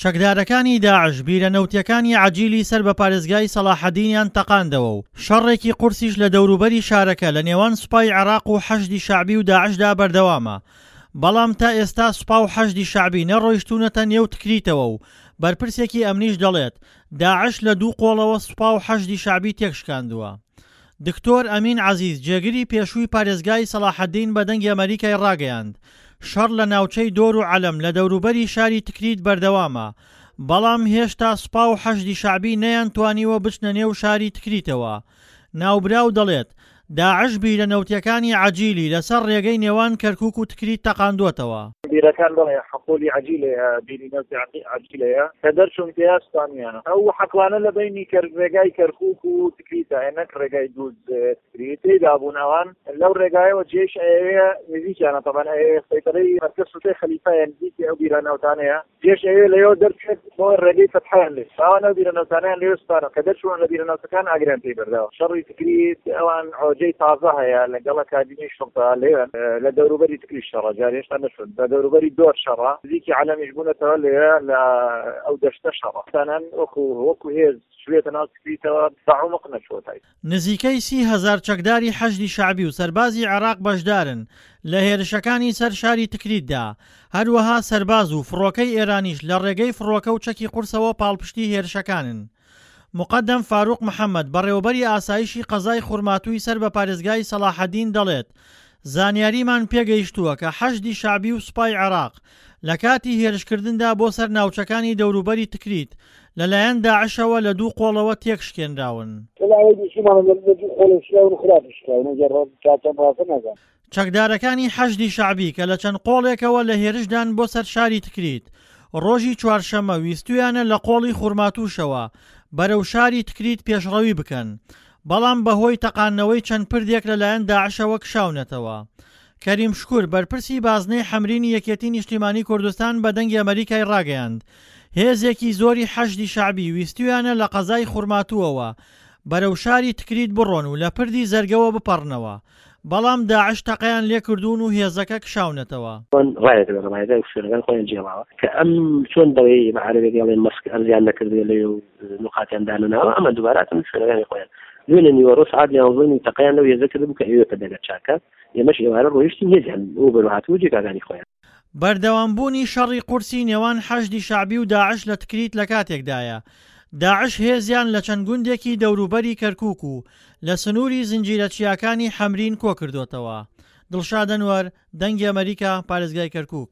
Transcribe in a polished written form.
چەکدارەکانی داعش بیرە نەوتییەکانی عەجیلی سەر بە پارێزگای سەڵاحەدینیان تەقاندەوە و شەڕێکی قورسیش لە دەوروبەری شارەکە لە نێوان سوپای عێراق و حەشدی شەعبی و داعشدا بەردەوامە، بەڵام تا ئێستا سوپا و حەشدی شەعبی نەڕۆیشتوونەتە نێو تکریتەوە و بەرپرسێکی ئەمنیش دەڵێت، داعش لە دوو قۆڵەوە سوپا و حەشدی شەعبی تێکشکاندووە. دکتۆر ئەمین عەزیز جێگری پێشووی پارێزگای سەڵاحەدین بە دەنگی ئەمەریکای ڕاگەیاند، شەڕ لە ناوچەی دۆر و عەلەم لە دەوروبەری شاری تکریت بەردەوامە، بەڵام هێشتا سوپا و حەشدی شەعبی نەیانتوانیوە بچنە نێو شاری تکریتەوە. ناوبراو دەڵێت، داعش بیرە نەوتیەکانی عەجیلی لەسەر ڕێگەی نێوان کەرکوک و تکریت تەقاندووەتەوە. بیرەکان بەڵێ حقولی عەجیلەیە بیری نەوتی عەجیلەیە کە دەرچوون تێیا سوتانویانە ئەو حەقلانە لە بەینی کەر ڕێگای کەرکوک و تکریتە نەک ڕێگای دووز تکریت تێیدا بوون ئەوان لەو ڕێگایەوە جێش ئەیەوێ نزیکیانە تەبعەن ئەیەوێ سەیتەرەی مەرکەز سوتەی خەلیفەیە نزیکی ئەو بیرە نەوتانەیە جێش ئەوێ لەوێوە دەرچێت بۆ ڕێگەی فەتحیان لێ ئەوان ئەو بیرە نەوتانیان لێ سوتانەوە کە دەرچوون لە بیرە نەوتەکان ئاگریان پێی بەرداوە شەڕی تکریت ئەوان عۆجەی تازە هەیە لەگەڵ ئەکادیمی شوڕتە لێوێن لە دەوروبەری تکریت شەڕە جار هێشتا نەچوون بە دەوروبەری دۆر شەڕە نزیکی عەلەمیش بوونەتەوە لێ لە ئەو دەشتە شەڕە تانان وەکو وەکو هێز چوێتە ناو تکریتەوە بە عومق نەچووە تای نزیکەی 30 هەزار چەکداری حەشدی شەعبی و سەربازی عێراق بەشدارن لە هێرشەکانی سەر شاری تکریتدا، هەروەها سەرباز و فڕۆکەی ئێرانیش لە ڕێگەی فڕۆکە و چەکی قورسەوە پاڵپشتی هێرشەکانن. موقەدەم فاروق محەمەد، بەڕێوەبەری ئاسایشی قەزای خورماتووی سەر بە پارێزگای سەڵاحەدین دەڵێت، زانیاریمان پێگەیشتووە کە حەشدی شەعبی و سوپای عێراق لە کاتی هێرشکردندا بۆ سەر ناوچەکانی دەوروبەری تکریت لەلایەن داعشەوە لە دوو قۆڵەوە تێکشکێنراون. چەکدارەکانی حەشدی شەعبی کە لە چەند قۆڵێکەوە لە هێرشدان بۆ سەر شاری تکریت، ڕۆژی چوارشەممە ویستوویانە لە قۆڵی خورماتووشەوە بەرەو شاری تکریت پێشڕەوی بکەن، بەڵام بەهۆی تەقاندنەوەی چەند پردێک لەلایەن داعشەوە کشاونەتەوە. کەریم شکور، بەرپرسی بازنەی حەمرینی یەکێتی نیشتیمانی کوردستان بە دەنگی ئەمەریکای ڕاگەیاند، هێزێکی زۆری حەشدی شەعبی ویستویانە لە قەزای خورماتووەوە بەرەو شاری تکریت بڕۆن و لە پردی زەرگەوە بپەڕنەوە، بەڵام داعش تەقەیان لێکردوون و هێزەکە کشاونەتەوە. چۆن ڕایەکە لە ڕمایەکە شوێنەکان خۆیان جێڵاوە کە ئەم چۆن دەڵێ بە عەرەبێک ئەڵێ مەسک ئەرزیان نەکردوێ لەوێ و نوقاتیان دانەناوە ئەمە دووبارە هاتن شوێنەکانی خۆیان دوێنێ نیوەڕۆ سەعات یانزە و نیو تەقەیان لەو هێزە کردبوو کە ئەوێ پەدەگە چاکە ئێمەش ئێوارە ڕۆیشتین هێزیان بۆ بەرەو هاتبوو جێگاکانی خۆیان. بەردەوامبوونی شەڕی قورسی نێوان حەشدی شەعبی و داعش لە تکریت لەکاتێکدایە، داعش هێزیان لە چەند گوندێکی دەوروبەری کەرکوک و لە سنووری زنجیرە چیاکانی حەمرین کۆکردۆتەوە. دڵشاد ئەنوەر، دەنگی ئەمەریکا، پارێزگای کەرکوک.